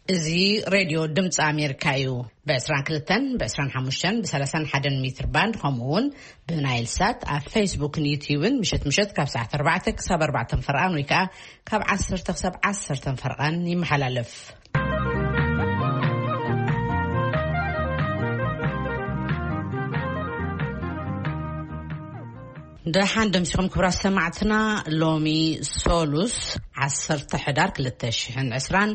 እዚ ሬድዮ ድምፂ ኣሜሪካ እዩ። ብ22፣ ብ25፣ ብ31 ሜትር ባንድ፣ ከምኡ እውን ብናይል ሳት ኣብ ፌስቡክን ዩትዩብን ምሸት ምሸት ካብ ሰዓት ኣርባዕተ ክሳብ ኣርባዕተ ፈርቓን ወይ ከዓ ካብ ዓሰርተ ክሳብ ዓሰርተ ፈርቓን ይመሓላለፍ። ደሓን ደምሲኹም ክብራት ሰማዕትና። ሎሚ ሶሉስ ዓሰርተ ሕዳር ክልተ ሽሕን ዕስራን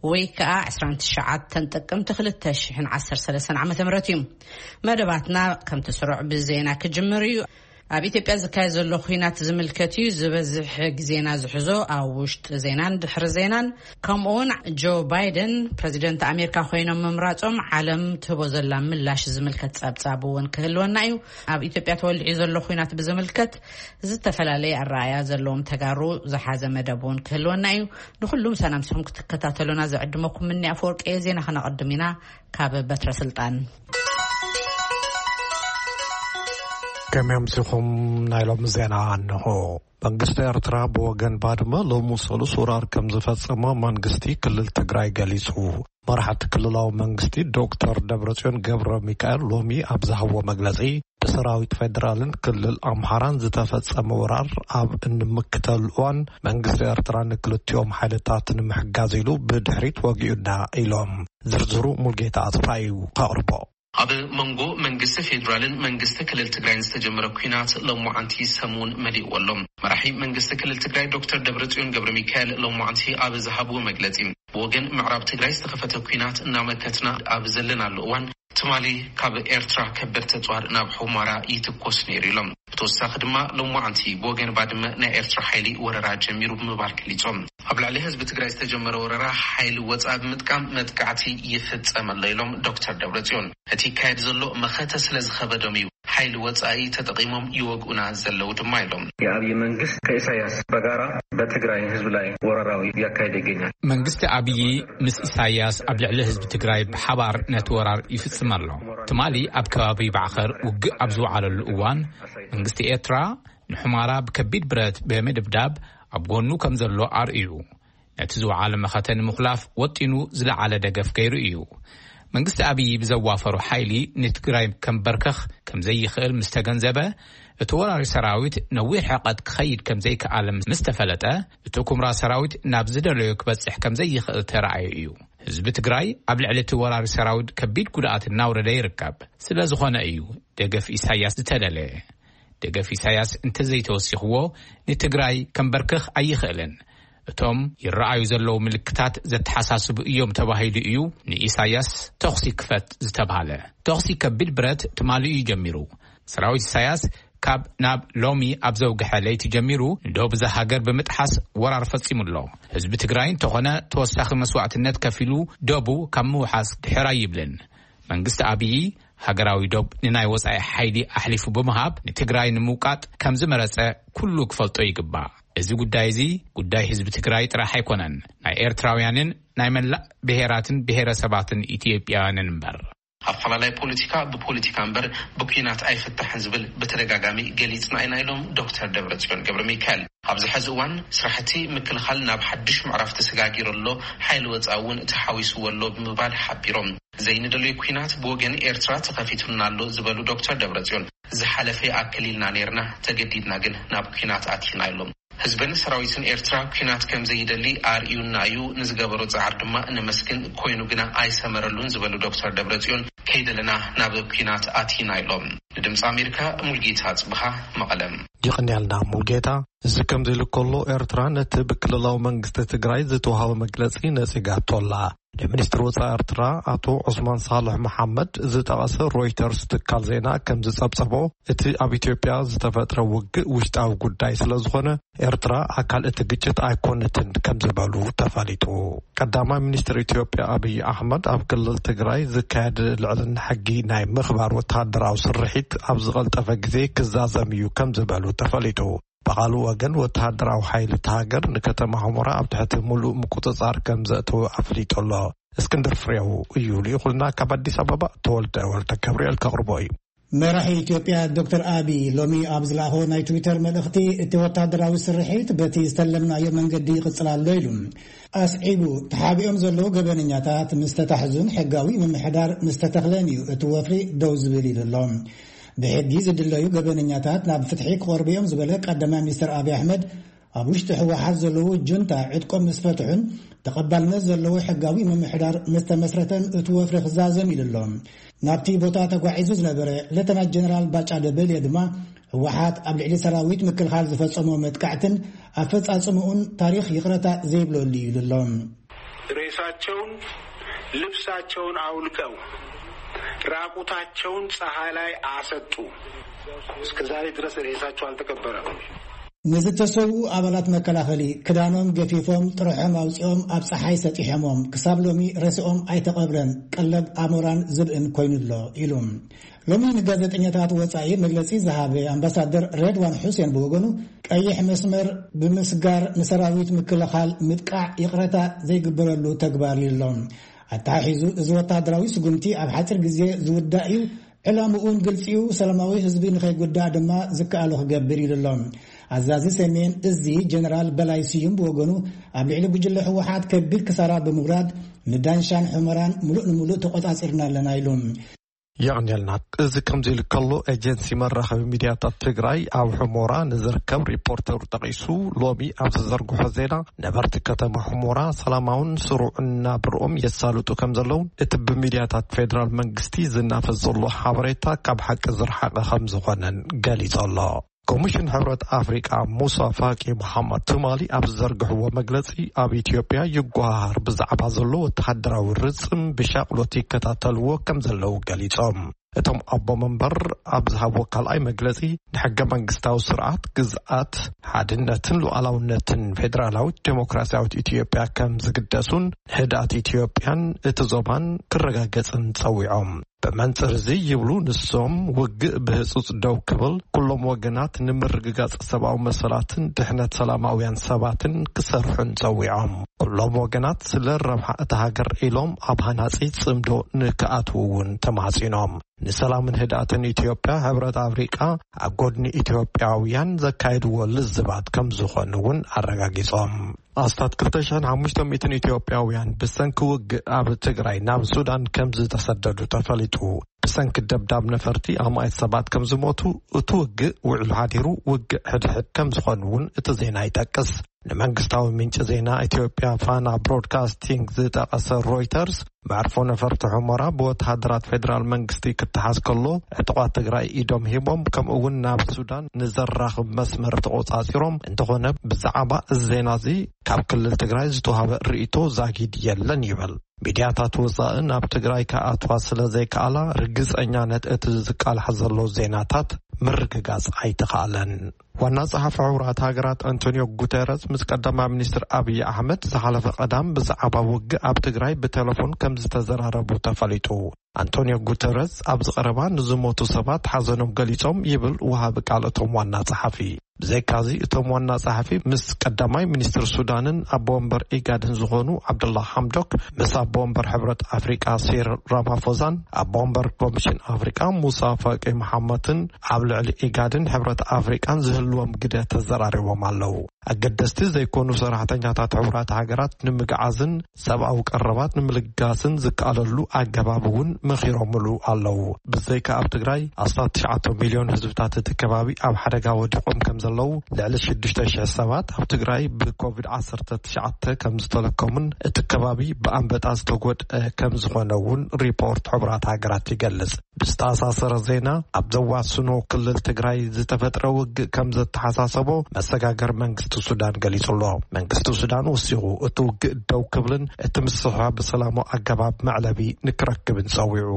ወይ ከዓ ዕስራን ትሽዓተን ጥቅምቲ ክልተ ሽሕን ዓሰርተ ሰለስተን ዓመተ ምህረት እዩ። መደባትና ከምቲ ስሩዕ ብዜና ክጅምር እዩ። ኣብ ኢትዮጵያ ዝካየድ ዘሎ ኲናት ዝምልከት እዩ። ዝበዝሕ ግዜና ዝሕዞ ኣብ ውሽጢ ዜናን ድሕሪ ዜናን፣ ከምኡውን ጆ ባይደን ፕረዚደንት ኣሜሪካ ኮይኖም ምምራጾም ዓለም ትህቦ ዘላ ምላሽ ዝምልከት ጸብጻብ እውን ክህልወና እዩ። ኣብ ኢትዮጵያ ተወሊዑ ዘሎ ኲናት ብዝምልከት ዝተፈላለየ ኣረኣያ ዘለዎም ተጋሩ ዝሓዘ መደብ እውን ክህልወና እዩ። ንኹሉም ሰላምስኹም ክትከታተሉና ዝዕድመኩም ምኒ ኣፈወርቂ እየ። ዜና ከነቐድም ኢና። ካብ በትረ ስልጣን። ከመይ ኣምሲኹም? ናይ ሎሚ ዜና እንሆ። መንግስቲ ኤርትራ ብወገን ባድመ ሎሚ ሰሉስ ወራር ከም ዝፈጸመ መንግስቲ ክልል ትግራይ ገሊጹ። መራሕቲ ክልላዊ መንግስቲ ዶክተር ደብረጽዮን ገብረ ሚካኤል ሎሚ ኣብ ዝሃብዎ መግለጺ፣ ብሰራዊት ፌደራልን ክልል ኣምሓራን ዝተፈጸመ ወራር ኣብ እንምክተሉ እዋን መንግስቲ ኤርትራ ንክልቲኦም ሓይልታት ንምሕጋዝ ኢሉ ብድሕሪት ወጊኡና ኢሎም። ዝርዝሩ ሙልጌታ ኣጽፋ እዩ ከቕርቦ። ኣብ መንጎ መንግስቲ ፌዴራልን መንግስቲ ክልል ትግራይን ዝተጀመረ ኲናት ሎማዓንቲ ሰሙን መሊእዎ ኣሎ። መራሒ መንግስቲ ክልል ትግራይ ዶክተር ደብረጽዮን ገብረ ሚካኤል ሎማዓንቲ ኣብ ዝሃብዎ መግለጺ፣ ብወገን ምዕራብ ትግራይ ዝተኸፈተ ኲናት እናመከትና ኣብ ዘለናሉ እዋን፣ ትማሊ ካብ ኤርትራ ከበድቲ ኣጽዋር ናብ ሑመራ ይትኮስ ነይሩ ኢሎም። ብተወሳኺ ድማ ሎማዓንቲ ብወገን ባድመ ናይ ኤርትራ ሓይሊ ወረራ ጀሚሩ ብምባል ገሊጾም። ኣብ ልዕሊ ህዝቢ ትግራይ ዝተጀመረ ወረራ ሓይሊ ወጻኢ ብምጥቃም መጥቃዕቲ ይፍጸም ኣሎ ኢሎም ዶክተር ደብረጽዮን። እቲ ይካየድ ዘሎ መኸተ ስለ ዝኸበዶም እዩ ሓይሊ ወጻኢ ተጠቒሞም ይወግኡና ዘለዉ ድማ ኢሎም። የኣብይ መንግስት ከኢሳያስ በጋራ በትግራይ ህዝብ ላይ ወረራዊ ያካሄደ ይገኛል። መንግስቲ ኣብይ ምስ ኢሳያስ ኣብ ልዕሊ ህዝቢ ትግራይ ብሓባር ነቲ ወራር ይፍጽም ኣሎ። ትማሊ ኣብ ከባቢ ባዕኸር ውግእ ኣብ ዝወዓለሉ እዋን፣ መንግስቲ ኤርትራ ንሑማራ ብከቢድ ብረት ብምድብዳብ ኣብ ጎኑ ከም ዘሎ ኣርእዩ። ነቲ ዝወዓለ መኸተ ንምኹላፍ ወጢኑ ዝለዓለ ደገፍ ገይሩ እዩ። መንግስቲ ኣብይ ብዘዋፈሩ ሓይሊ ንትግራይ ከንበርከኽ ከም ዘይኽእል ምስ ተገንዘበ፣ እቲ ወራሪ ሰራዊት ነዊሕ ርሕቀት ክኸይድ ከም ዘይከኣለ ምስ ተፈለጠ፣ እቲ ኩምራ ሰራዊት ናብ ዝደለዮ ክበጽሕ ከም ዘይኽእል ተራእዩ እዩ። ህዝቢ ትግራይ ኣብ ልዕሊ እቲ ወራሪ ሰራዊት ከቢድ ጉድኣት እናውረደ ይርከብ። ስለ ዝኾነ እዩ ደገፍ ኢሳያስ ዝተደለየ። ደገፍ ኢሳያስ እንተዘይተወሲኽዎ ንትግራይ ከንበርክኽ ኣይኽእልን። እቶም ይረኣዩ ዘለዉ ምልክታት ዘተሓሳስቡ እዮም ተባሂሉ እዩ ንኢሳያስ ተኹሲ ክፈት ዝተብሃለ። ተኹሲ ከቢድ ብረት ትማሊ እዩ ጀሚሩ። ሰራዊት ኢሳያስ ካብ ናብ ሎሚ ኣብ ዘውግሐ ለይቲ ጀሚሩ ንደቡብ እዛ ሃገር ብምጥሓስ ወራር ፈጺሙ ኣሎ። ህዝቢ ትግራይ እንተኾነ ተወሳኺ መስዋዕትነት ከፊሉ ደቡ ካብ ምውሓስ ድሕር ኣይብልን። መንግስቲ ኣብዪ ሃገራዊ ዶብ ንናይ ወጻኢ ሓይሊ ኣሕሊፉ ብምሃብ ንትግራይ ንምውቃጥ ከም ዝመረጸ ኩሉ ክፈልጦ ይግባእ። እዚ ጉዳይ እዚ ጉዳይ ህዝቢ ትግራይ ጥራሕ ኣይኮነን፣ ናይ ኤርትራውያንን ናይ መላእ ብሄራትን ብሄረሰባትን ኢትዮጵያውያንን እምበር። ኣፈላላይ ፖለቲካ ብፖለቲካ እምበር ብኲናት ኣይፍታሕን ዝብል ብተደጋጋሚ ገሊጽና ኢና ኢሎም ዶክተር ደብረጽዮን ገብረ ሚካኤል። ኣብዚ ሕዚ እዋን ስራሕቲ ምክልኻል ናብ ሓድሽ ምዕራፍ ተሰጋጊሩ ኣሎ፣ ሓይሊ ወጻኢ እውን ተሓዊስዎ ኣሎ ብምባል ሓቢሮም። ዘይንደልዮ ኲናት ብወገን ኤርትራ ተኸፊቱና ኣሎ ዝበሉ ዶክተር ደብረጽዮን፣ ዝሓለፈ ይኣክል ኢልና ነይርና፣ ተገዲድና ግን ናብ ኲናት ኣቲና ኢሎም። ህዝብን ሰራዊትን ኤርትራ ኲናት ከም ዘይደሊ ኣርእዩና እዩ፣ ንዝገበሮ ጻዕሪ ድማ ነመስግን፣ ኮይኑ ግና ኣይሰመረሉን ዝበሉ ዶክተር ደብረጽዮን፣ ከይደለና ናብ ኲናት ኣቲና ኢሎም። ንድምፂ ኣሜሪካ ሙልጌታ ጽብሃ መቐለም። ይቕንያልና ሙልጌታ። እዚ ከምዚ ኢሉ ከሎ፣ ኤርትራ ነቲ ብክልላዊ መንግስቲ ትግራይ ዝተዋህበ መግለጺ ነጺጋቶ ኣላ። ንሚኒስትሪ ወጻኢ ኤርትራ ኣቶ ዑስማን ሳልሕ መሓመድ ዝጠቐሰ ሮይተርስ ትካል ዜና ከም ዝጸብጸቦ፣ እቲ ኣብ ኢትዮጵያ ዝተፈጥረ ውግእ ውሽጣዊ ጉዳይ ስለ ዝኾነ፣ ኤርትራ ኣካል እቲ ግጭት ኣይኮነትን ከም ዝበሉ ተፈሊጡ። ቀዳማይ ሚኒስትር ኢትዮጵያ ኣብይ ኣሕመድ ኣብ ክልል ትግራይ ዝካየድ ልዕልና ሕጊ ናይ ምኽባር ወተሃደራዊ ስርሒት ኣብ ዝቐልጠፈ ግዜ ክዛዘም እዩ ከም ዝበሉ ተፈሊጡ። ብኻልእ ወገን ወተሃደራዊ ሓይሊ እታ ሃገር ንከተማ ሑመራ ኣብ ትሕቲ ሙሉእ ምቁጽጻር ከም ዘእተወ ኣፍሊጡ ኣሎ። እስክንድር ፍሬው እዩ ልኢኹልና ካብ ኣዲስ ኣበባ። ተወልደ ወልደ ገብርኤል ከቕርቦ እዩ። መራሒ ኢትዮጵያ ዶክተር ኣቢ ሎሚ ኣብ ዝለኣኾ ናይ ትዊተር መልእኽቲ፣ እቲ ወታደራዊ ስርሒት በቲ ዝተለምናዮ መንገዲ ይቕጽል ኣሎ ኢሉ። ኣስዒቡ፣ ተሓቢኦም ዘለዉ ገበነኛታት ምስ ተታሕዙን ሕጋዊ ምምሕዳር ምስ ተተኽለን እዩ እቲ ወፍሪ ደው ዝብል ኢሉ ኣሎ። ብሕጊ ዝድለዩ ገበነኛታት ናብ ፍትሒ ክቐርቡ እዮም ዝበለ ቀዳማይ ሚኒስትር ኣቢ ኣሕመድ፣ ኣብ ውሽጢ ህወሓት ዘለዉ ጁንታ ዕጥቆም ምስ ፈትሑን ተቐባልነት ዘለዎ ሕጋዊ ምምሕዳር ምስ ተመስረተን እቲ ወፍሪ ክዛዘም ኢሉ ኣሎ። ናብቲ ቦታ ተጓዒዙ ዝነበረ ሌተናል ጀነራል ባጫ ደበልየ ድማ፣ ህወሓት ኣብ ልዕሊ ሰራዊት ምክልኻል ዝፈጸሞ መጥቃዕትን ኣፈጻጽምኡን ታሪኽ ይቕረታ ዘይብለሉ እዩ ኢሉ ኣሎ። ሬሳቸውን ልብሳቸውን አውልቀው ራቁታቸውን ፀሐይ ላይ አሰጡ። እስከ ዛሬ ድረስ ሬሳቸው አልተቀበረም። ንዝተሰዉ ኣባላት መከላኸሊ ክዳኖም ገፊፎም ጥርሖም ኣውፂኦም ኣብ ፀሓይ ሰጢሖሞም፣ ክሳብ ሎሚ ሬስኦም ኣይተቐብረን፣ ቀለብ ኣሞራን ዝብእን ኮይኑሎ ኢሉ። ሎሚ ንጋዜጠኛታት ወጻኢ መግለጺ ዝሃበ ኣምባሳደር ሬድዋን ሑሴን ብወገኑ፣ ቀይሕ መስመር ብምስጋር ንሰራዊት ምክልኻል ምጥቃዕ ይቕረታ ዘይግበረሉ ተግባር እዩ ኣሎ። ኣተሓሒዙ፣ እዚ ወታደራዊ ስጉምቲ ኣብ ሓጺር ግዜ ዝውዳእ እዩ፣ ዕላምኡን ግልጺ እዩ፣ ሰላማዊ ህዝቢ ንኸይጉዳእ ድማ ዝከኣሎ ክገብር ኢሉ ኣሎ። ኣዛዚ ሰሜን እዚ ጀነራል በላይ ስዩም ብወገኑ፣ ኣብ ልዕሊ ጉጅለ ህወሓት ከቢድ ክሳራ ብምውራድ ንዳንሻን ሑመራን ሙሉእ ንሙሉእ ተቆጻጺርና ኣለና ኢሉ። የቐንየልና። እዚ ከምዚ ኢሉ ከሎ፣ ኤጀንሲ መራኸቢ ሚድያታት ትግራይ ኣብ ሑሞራ ንዝርከብ ሪፖርተሩ ጠቒሱ፣ ሎሚ ኣብ ዝዘርግሖ ዜና፣ ነበርቲ ከተማ ሑሞራ ሰላማውን ስሩዕን ናብርኦም የሳልጡ ከም ዘለውን እቲ ብሚድያታት ፌደራል መንግስቲ ዝናፈስ ዘሎ ሓበሬታ ካብ ሓቂ ዝረሓቐ ከም ዝኾነን ገሊጹ ኣሎ። ኮሚሽን ሕብረት ኣፍሪቃ ሙሳ ፋቂ መሓመድ ትማሊ ኣብ ዝዘርግሕዎ መግለጺ፣ ኣብ ኢትዮጵያ ይጓሃር ብዛዕባ ዘሎ ወተሃደራዊ ርጽም ብሻቕሎት ይከታተልዎ ከም ዘለዉ ገሊጾም። እቶም ኣቦ መንበር ኣብ ዝሃብዎ ካልኣይ መግለጺ፣ ንሕገ መንግስታዊ ስርዓት፣ ግዝኣት፣ ሓድነትን ሉዓላውነትን ፌደራላዊት ዴሞክራሲያዊት ኢትዮጵያ ከም ዝግደሱን ንህድኣት ኢትዮጵያን እቲ ዞባን ክረጋገጽን ጸዊዖም። ብመንጽር እዚ ይብሉ ንሶም፣ ውግእ ብህጹጽ ደው ክብል፣ ኩሎም ወገናት ንምርግጋጽ ሰብኣዊ መሰላትን ድሕነት ሰላማውያን ሰባትን ክሰርሑን ጸዊዖም። ኩሎም ወገናት ስለ ረብሓ እታ ሃገር ኢሎም ኣብ ሃናጺ ጽምዶ ንክኣትዉ እውን ተማጺኖም። ንሰላምን ህድኣትን ኢትዮጵያ፣ ሕብረት ኣፍሪቃ ኣብ ጎድኒ ኢትዮጵያውያን ዘካየድዎ ልዝባት ከም ዝኾኑ እውን ኣረጋጊጾም። ኣስታት ክልተ ሽሕን ሓሙሽተ ሚእትን ኢትዮጵያውያን ብሰንኪ ውግእ ኣብ ትግራይ ናብ ሱዳን ከም ዝተሰደዱ ተፈሊጡ። ብሰንኪ ደብዳብ ነፈርቲ ኣማኢት ሰባት ከም ዝሞቱ፣ እቲ ውግእ ውዕሉ ሓዲሩ ውግእ ሕድሕድ ከም ዝኾኑ እውን እቲ ዜና ይጠቅስ። ንመንግስታዊ ምንጪ ዜና ኢትዮጵያ ፋና ብሮድካስቲንግ ዝጠቐሰ ሮይተርስ፣ መዕርፎ ነፈርቲ ሑመራ ብወተሃደራት ፌደራል መንግስቲ ክተሓዝ ከሎ፣ ዕጡቓት ትግራይ ኢዶም ሂቦም፣ ከምኡ እውን ናብ ሱዳን ንዘራኽብ መስመር ተቖጻጺሮም። እንተኾነ፣ ብዛዕባ እዚ ዜና እዚ ካብ ክልል ትግራይ ዝተዋህበ ርእይቶ ዛጊድ የለን ይብል። ሚድያታት ወጻኢ ናብ ትግራይ ክኣትዋ ስለ ዘይከኣላ፣ ርግጸኛነት እቲ ዝቃላሕ ዘሎ ዜናታት ምርግጋጽ ኣይተኻእለን። ዋና ጸሓፊ ሕቡራት ሃገራት ኣንቶኒዮ ጉተረስ ምስ ቀዳማይ ሚኒስትር ኣብይ ኣሕመድ ዝሓለፈ ቀዳም ብዛዕባ ውግእ ኣብ ትግራይ ብቴሌፎን ከም ዝተዘራረቡ ተፈሊጡ። ኣንቶኒዮ ጉተረስ ኣብዚ ቀረባ ንዝሞቱ ሰባት ሓዘኖም ገሊጾም ይብል ወሃቢ ቃል እቶም ዋና ጸሓፊ። ብዘይካዚ እቶም ዋና ጸሓፊ ምስ ቀዳማይ ሚኒስትር ሱዳንን ኣቦ ወንበር ኢጋድን ዝኾኑ ዓብደላ ሓምዶክ፣ ምስ ኣቦ ወንበር ሕብረት ኣፍሪቃ ሲሪል ራማፎዛን ኣቦ ወንበር ኮሚሽን ኣፍሪቃ ሙሳ ፋቂ መሓመትን ኣብ ልዕሊ ኢጋድን ሕብረት ኣፍሪቃን ዝህልዎም ግደ ተዘራሪቦም ኣለዉ። ኣገደስቲ ዘይኮኑ ሰራሕተኛታት ሕቡራት ሃገራት ንምግዓዝን ሰብኣዊ ቀረባት ንምልጋስን ዝከኣለሉ ኣገባብ እውን መኺሮምሉ ኣለዉ። ብዘይካ ኣብ ትግራይ ኣስታት ትሽዓተ ሚልዮን ህዝብታት እቲ ከባቢ ኣብ ሓደጋ ወዲቖም ከም ዘለዉ፣ ልዕሊ ሽዱሽተ ሽሕ ሰባት ኣብ ትግራይ ብኮቪድ ዓሰርተ ትሽዓተ ከም ዝተለከሙን እቲ ከባቢ ብኣንበጣ ዝተጎድአ ከም ዝኾነ እውን ሪፖርት ሕቡራት ሃገራት ይገልጽ። ብዝተኣሳሰረ ዜና፣ ኣብ ዘዋስኖ ክልል ትግራይ ዝተፈጥረ ውግእ ከም ዘተሓሳሰቦ መሰጋገር መንግስቲ ሱዳን ገሊጹ ኣሎ። መንግስቲ ሱዳን ወሲኹ፣ እቲ ውግእ ደው ክብልን እቲ ምስሕሓብ ብሰላማዊ ኣገባብ መዕለቢ ንክረክብን ጸዊዑ።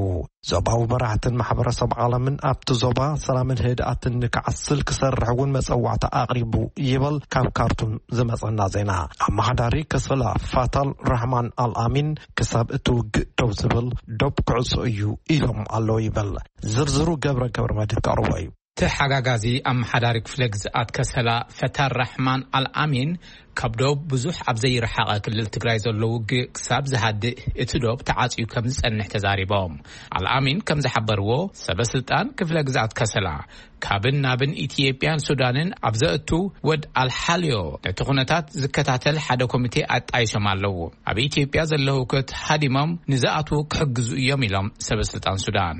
ዞባዊ መራሕትን ማሕበረሰብ ዓለምን ኣብቲ ዞባ ሰላምን ህድኣትን ንክዓስል ክሰርሕ እውን መጸዋዕታ ኣቕሪቡ ይበል ካብ ካርቱም ዝመጸና ዜና። ኣመሓዳሪ ከሰላ ፋታል ራሕማን ኣልኣሚን ክሳብ እቲ ውግእ ደው ዝብል ዶብ ክዕጾ እዩ ኢሎም ኣለዉ ይበል። ዝርዝሩ ገብረ ገብረ መድህን ከቕርቦ እዩ። ተሓጋጋዚ ኣመሓዳሪ ክፍለ ግዝኣት ከሰላ ፈታር ራሕማን ኣልኣሚን ካብ ዶብ ብዙሕ ኣብ ዘይረሓቐ ክልል ትግራይ ዘሎ ውግእ ክሳብ ዝሃድእ እቲ ዶብ ተዓጽዩ ከም ዝጸንሕ ተዛሪቦም። ኣልኣሚን ከም ዝሓበርዎ፣ ሰበ ስልጣን ክፍለ ግዝኣት ከሰላ ካብን ናብን ኢትዮጵያን ሱዳንን ኣብ ዘእቱ ወድ ኣልሓልዮ ነቲ ኩነታት ዝከታተል ሓደ ኮሚቴ ኣጣይሾም ኣለዉ። ኣብ ኢትዮጵያ ዘሎ ህውከት ሃዲሞም ንዝኣትዉ ክሕግዙ እዮም ኢሎም ሰበ ስልጣን ሱዳን።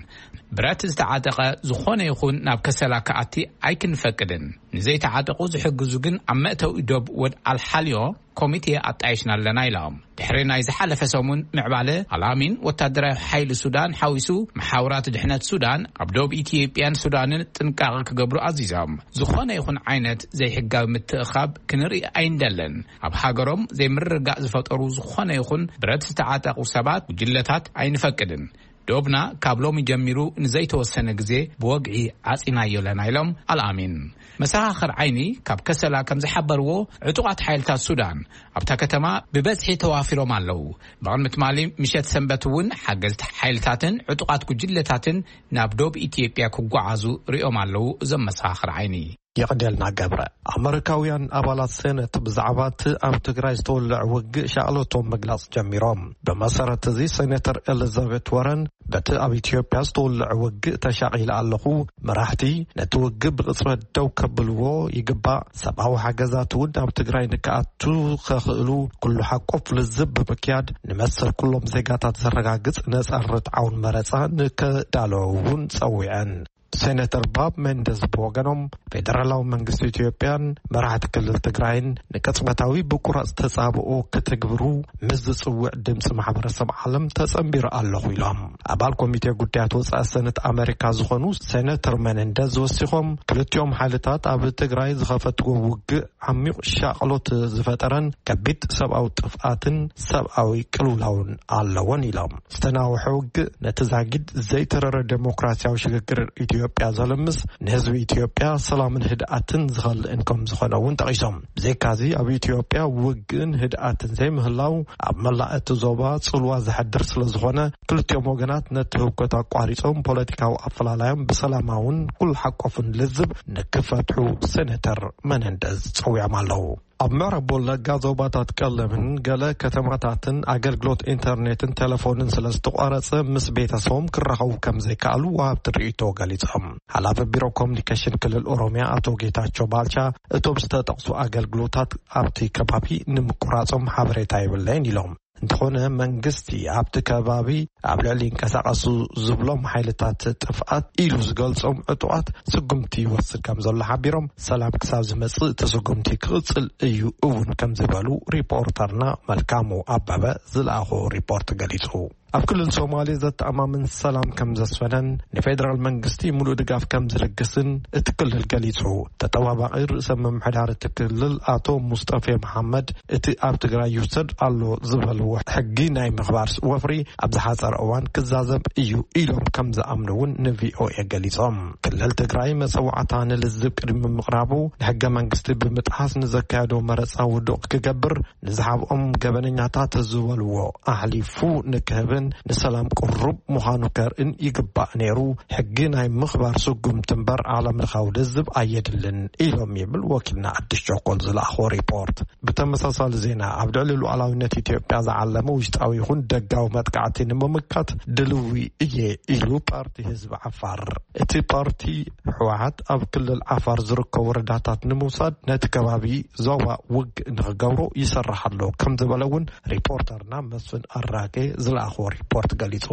ብረት ዝተዓጠቐ ዝኾነ ይኹን ናብ ከሰላ ክኣቲ ኣይክንፈቅድን። ንዘይተዓጠቑ ዝሕግዙ ግን ኣብ መእተዊ ዶብ ወድ ኣልሓልዮ ኮሚቴ ኣጣይሽና ኣለና ኢሎም። ድሕሪ ናይ ዝሓለፈ ሰሙን ምዕባለ ኣልኣሚን ወታደራዊ ሓይሊ ሱዳን ሓዊሱ መሓውራት ድሕነት ሱዳን ኣብ ዶብ ኢትዮጵያን ሱዳንን ጥንቃቐ ክገብሩ ኣዚዞም። ዝኾነ ይኹን ዓይነት ዘይሕጋዊ ምትእኻብ ክንርኢ ኣይንደልን። ኣብ ሃገሮም ዘይምርግጋእ ዝፈጠሩ ዝኾነ ይኹን ብረት ዝተዓጠቑ ሰባት፣ ጉጅለታት ኣይንፈቅድን። ዶብና ካብ ሎሚ ጀሚሩ ንዘይተወሰነ ግዜ ብወግዒ ዓጺናዮ ኣለና ኢሎም ኣልኣሚን። መሰኻኽር ዓይኒ ካብ ከሰላ ከም ዝሓበርዎ፣ ዕጡቓት ሓይልታት ሱዳን ኣብታ ከተማ ብበዝሒ ተዋፊሮም ኣለዉ። ብቕድሚ ትማሊ ምሸት ሰንበት እውን ሓገዝቲ ሓይልታትን ዕጡቓት ጉጅለታትን ናብ ዶብ ኢትዮጵያ ክጓዓዙ ሪኦም ኣለዉ። እዞም መሰኻኽር ዓይኒ። የቕደልና ገብረ። ኣመሪካውያን ኣባላት ሴኔት ብዛዕባ እቲ ኣብ ትግራይ ዝተወልዐ ውግእ ሻቕሎቶም ምግላጽ ጀሚሮም። ብመሰረት እዚ፣ ሴኔተር ኤሊዛቤት ወረን በቲ ኣብ ኢትዮጵያ ዝተወልዐ ውግእ ተሻቒለ ኣለኹ። መራሕቲ ነቲ ውግእ ብቕጽበት ደው ከብልዎ ይግባእ። ሰብኣዊ ሓገዛት እውን ናብ ትግራይ ንክኣቱ ከኽእሉ ኩሉ ሓቆፍ ልዝብ ብምክያድ ንመሰል ኩሎም ዜጋታት ዘረጋግጽ ነጻን ርትዓውን መረጻ ንከዳለዉ እውን ጸዊዐን። ሴኔተር ባብ ሜንደዝ ብወገኖም፣ ፌደራላዊ መንግስቲ ኢትዮጵያን መራሕቲ ክልል ትግራይን ንቅጽበታዊ ብቁራጽ ተጻብኦ ክትግብሩ ምስ ዝጽውዕ ድምጺ ማሕበረሰብ ዓለም ተጸንቢሩ ኣለኹ ኢሎም። ኣባል ኮሚቴ ጉዳያት ወጻኢ ሰነት ኣመሪካ ዝኾኑ ሴኔተር ሜንደዝ ወሲኾም፣ ክልቲኦም ሓይልታት ኣብ ትግራይ ዝኸፈትዎ ውግእ ዓሚቕ ሻቕሎት ዝፈጠረን ከቢድ ሰብኣዊ ጥፍኣትን ሰብኣዊ ቅልውላውን ኣለዎን ኢሎም። ዝተናውሐ ውግእ ነቲ ዛጊድ ዘይተረረ ዴሞክራሲያዊ ሽግግር ኢትዮጵያ ዘልምስ፣ ንህዝቢ ኢትዮጵያ ሰላምን ህድኣትን ዝኸልእን ከም ዝኾነ እውን ጠቒሶም። ብዘይካዚ፣ ኣብ ኢትዮጵያ ውግእን ህድኣትን ዘይምህላው ኣብ መላእ እቲ ዞባ ጽልዋ ዘሕድር ስለ ዝኾነ፣ ክልቲኦም ወገናት ነቲ ህውከት ኣቋሪጾም ፖለቲካዊ ኣፈላላዮም ብሰላማውን ኩሉ ሓቆፍን ልዝብ ንክፈትሑ ሴኔተር መነንደዝ ጸዊዖም ኣለዉ። ኣብ ምዕራብ ወለጋ ዞባታት ቀለምን ገለ ከተማታትን ኣገልግሎት ኢንተርኔትን ቴሌፎንን ስለ ዝተቋረጸ፣ ምስ ቤተሰቦም ክራኸቡ ከም ዘይከኣሉ ወሃብቲ ርእይቶ ገሊጾም። ሓላፊ ቢሮ ኮሙኒኬሽን ክልል ኦሮሚያ ኣቶ ጌታቸው ባልቻ፣ እቶም ዝተጠቕሱ ኣገልግሎታት ኣብቲ ከባቢ ንምቁራጾም ሓበሬታ የብለይን ኢሎም። እንተኾነ፣ መንግስቲ ኣብቲ ከባቢ ኣብ ልዕሊ ይንቀሳቐሱ ዝብሎም ሓይልታት ጥፍኣት ኢሉ ዝገልጾም ዕጡቓት ስጉምቲ ይወስድ ከም ዘሎ ሓቢሮም፣ ሰላም ክሳብ ዝመጽእ እቲ ስጉምቲ ክቕጽል እዩ እውን ከም ዝበሉ ሪፖርተርና መልካሙ ኣበበ ዝለኣኾ ሪፖርት ገሊጹ። ኣብ ክልል ሶማሌ ዘተኣማምን ሰላም ከም ዘስፈነን ንፌደራል መንግስቲ ሙሉእ ድጋፍ ከም ዝልግስን እቲ ክልል ገሊጹ። ተጠባባቒ ርእሰ ምምሕዳር እቲ ክልል ኣቶ ሙስጠፌ መሓመድ፣ እቲ ኣብ ትግራይ ይውሰድ ኣሎ ዝበልዎ ሕጊ ናይ ምኽባር ወፍሪ ኣብ ዝሓጸረ እዋን ክዛዘም እዩ ኢሎም ከም ዝኣምኑ እውን ንቪኦኤ ገሊጾም። ክልል ትግራይ መጸዋዕታ ንልዝብ ቅድሚ ምቕራቡ፣ ንሕገ መንግስቲ ብምጥሓስ ንዘካየዶ መረጻ ውዱቕ ክገብር፣ ንዝሓብኦም ገበነኛታት ዝበልዎ ኣሕሊፉ ንክህብን ንሰላም ቅሩብ ምዃኑ ከርእን ይግባእ ነይሩ። ሕጊ ናይ ምኽባር ስጉምቲ እምበር ዓለም ለኻዊ ልዝብ ኣየድልን ኢሎም ይብል ወኪልና ኣዲስ ቸኮል ዝለኣኾ ሪፖርት። ብተመሳሳሊ ዜና፣ ኣብ ልዕሊ ሉዓላዊነት ኢትዮጵያ ዝዓለመ ውሽጣዊ ይኹን ደጋዊ መጥቃዕቲ ንምምካት ድልዊ እየ ኢሉ ፓርቲ ህዝቢ ዓፋር። እቲ ፓርቲ ህወሓት ኣብ ክልል ዓፋር ዝርከቡ ወረዳታት ንምውሳድ ነቲ ከባቢ ዞባ ውግእ ንኽገብሮ ይሰርሕ ኣሎ ከም ዝበለ እውን ሪፖርተርና መስፍን ኣራጌ ዝለኣኾ ሪፖርት ገሊጹ።